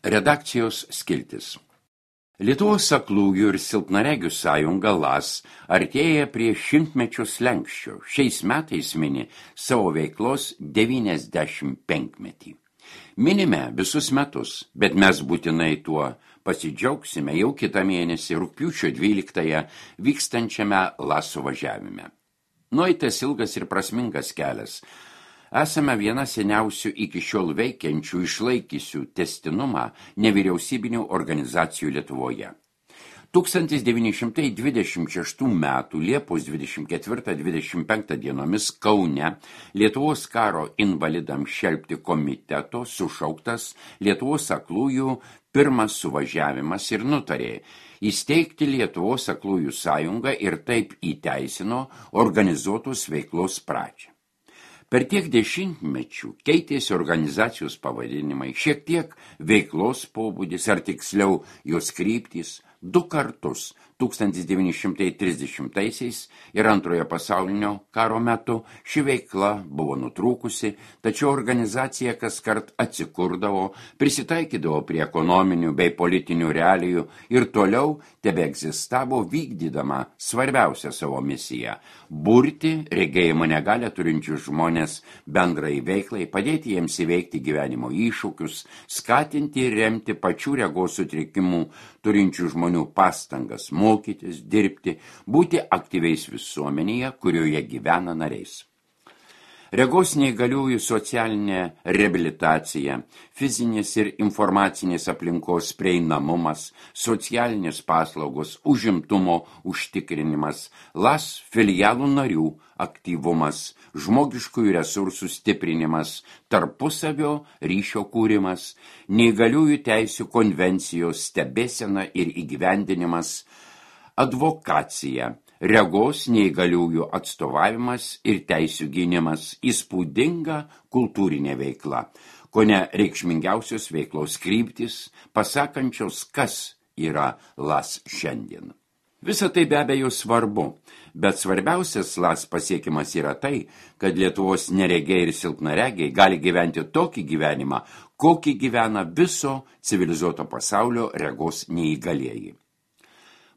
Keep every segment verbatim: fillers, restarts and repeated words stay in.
Redakcijos skiltis. Lietuvos aklųjų ir silpnaregių sąjunga LAS artėja prie šimtmečio slenkščio. Šiais metais mini savo veiklos devyniasdešimt penkmetį. Minime visus metus, bet mes būtinai tuo pasidžiaugsime jau kitą mėnesį rugpjūčio dvyliktąją vykstančiame LAS suvažiavime. Nueitas ilgas ir prasmingas kelias. Esame viena seniausių iki šiol veikiančių išlaikysių testinumą nevyriausybinių organizacijų Lietuvoje. tūkstantis devyni šimtai dvidešimt šeštų metų Liepos dvidešimt ketvirtą dvidešimt penktą dienomis Kaune Lietuvos karo invalidams šelpti komiteto sušauktas Lietuvos aklųjų pirmas suvažiavimas ir nutarė įsteigti Lietuvos aklųjų sąjungą ir taip įteisino organizuotos veiklos pradžią. Per tiek dešimtmečių keitėsi organizacijos pavadinimai, šiek tiek veiklos pobūdis, ar tiksliau jos kryptys, du kartus tūkstantis devyni šimtai trisdešimtaisiais ir antrojo pasaulinio karo metu ši veikla buvo nutrūkusi, tačiau organizacija kaskart atsikurdavo, prisitaikydavo prie ekonominių bei politinių realijų ir toliau tebeegzistavo vykdydama svarbiausią savo misiją – burti regėjimo negalią turinčius žmonės bendrai veiklai, padėti jiems įveikti gyvenimo iššūkius, skatinti ir remti pačių regos sutrikimų turinčių žmonių pastangas mokytis, dirbti, būti aktyviais visuomenėje, kurioje gyvena nariais. Regos neįgaliųjų socialinė reabilitacija, fizinės ir informacinės aplinkos prieinamumas, socialinės paslaugos, užimtumo užtikrinimas, LAS filialų narių aktyvumas, žmogiškųjų resursų stiprinimas, tarpusavio ryšio kūrimas, neįgaliųjų teisių konvencijos stebėsena ir įgyvendinimas, advokacija, regos neįgaliųjų atstovavimas ir teisių gynimas, įspūdinga kultūrinė veikla, kone reikšmingiausios veiklos kryptis, pasakančios, kas yra LAS šiandien. Visa tai be abejo svarbu, bet svarbiausias LAS pasiekimas yra tai, kad Lietuvos neregiai ir silpnaregiai gali gyventi tokį gyvenimą, kokį gyvena viso civilizuoto pasaulio regos neįgalieji.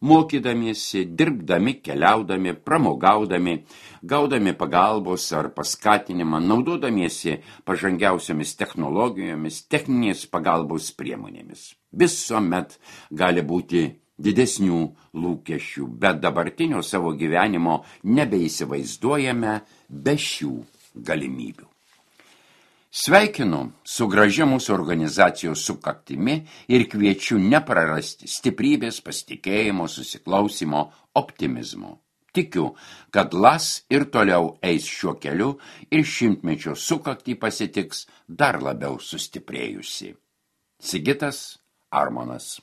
Mokydamiesi, dirbdami, keliaudami, pramogaudami, gaudami pagalbos ar paskatinimą, naudodamiesi pažangiausiomis technologijomis, techninės pagalbos priemonėmis. Visuomet gali būti didesnių lūkesčių, bet dabartinio savo gyvenimo nebeįsivaizduojame be šių galimybių. Sveikinu su gražia mūsų organizacijos sukaktimi ir kviečiu neprarasti stiprybės, pasitikėjimo, susiklausimo, optimizmo. Tikiu, kad LAS ir toliau eis šiuo keliu ir šimtmečio sukaktį pasitiks dar labiau sustiprėjusi. Sigitas Armonas.